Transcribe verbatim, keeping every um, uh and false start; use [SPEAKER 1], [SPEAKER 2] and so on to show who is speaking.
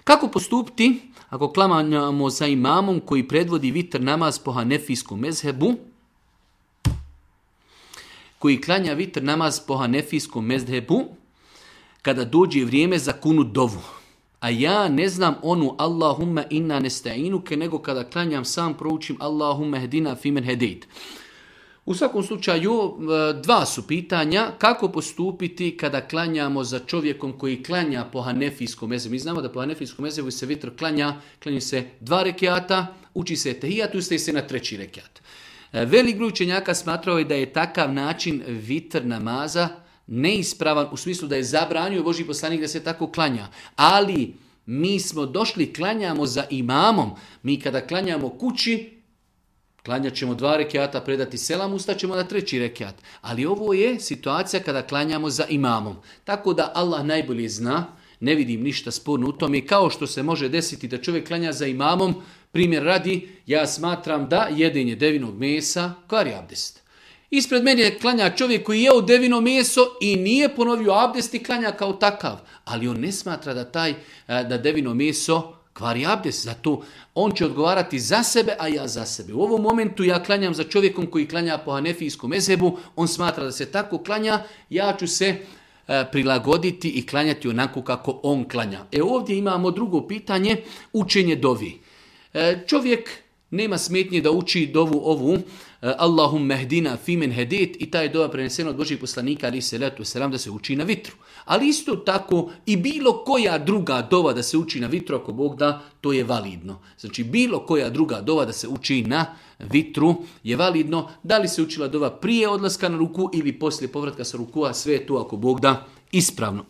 [SPEAKER 1] Kako postupiti ako klanjamo za imamom koji predvodi vitr namaz po hanefijskom mezhebu? Koji klanja vitr namaz po hanefijskom mezhebu kada dođe vrijeme za kunut dovu. A ja ne znam onu Allahumma inna nesta'inuke, nego kada klanjam sam proučim Allahumma hedina fimen hedejt. U svakom slučaju, dva su pitanja. Kako postupiti kada klanjamo za čovjekom koji klanja po hanefijskom mezhebu? Mi znamo da po hanefijskom mezhebu se vitr klanja, klanja se dva rekiata, uči se tehijat, ustaje se na treći rekiat. Velik broj učenjaka smatrao je da je takav način vitr namaza neispravan u smislu da je zabranio Božji poslanik da se tako klanja. Ali mi smo došli, klanjamo za imamom. Mi kada klanjamo kući, klanjat ćemo dva rekiata, predati selam, ustaćemo na treći rekiat. Ali ovo je situacija kada klanjamo za imamom. Tako da Allah najbolje zna, ne vidim ništa sporno u tome. Kao što se može desiti da čovjek klanja za imamom, primjer radi, ja smatram da jedenje devinog mesa kvari abdest. Ispred mene je klanja čovjek koji je jeo devino meso i nije ponovio abdest i klanja kao takav. Ali on ne smatra da taj da devino meso kvari abdest. Zato on će odgovarati za sebe, a ja za sebe. U ovom momentu ja klanjam za čovjekom koji klanja po hanefijskom mezhebu. On smatra da se tako klanja. Ja ću se prilagoditi i klanjati onako kako on klanja. E ovdje imamo drugo pitanje, učenje dovi. Čovjek nema smetnje da uči dovu ovu Allahumma hdina fimen hedit i ta je dova prenesena od Božih poslanika ali se letu selam da se uči na vitru. Ali isto tako i bilo koja druga dova da se uči na vitru, ako Bog da, to je validno. Znači bilo koja druga dova da se uči na vitru je validno. Da li se učila dova prije odlaska na ruku ili poslije povratka sa rukua, sve je to ako Bog da ispravno.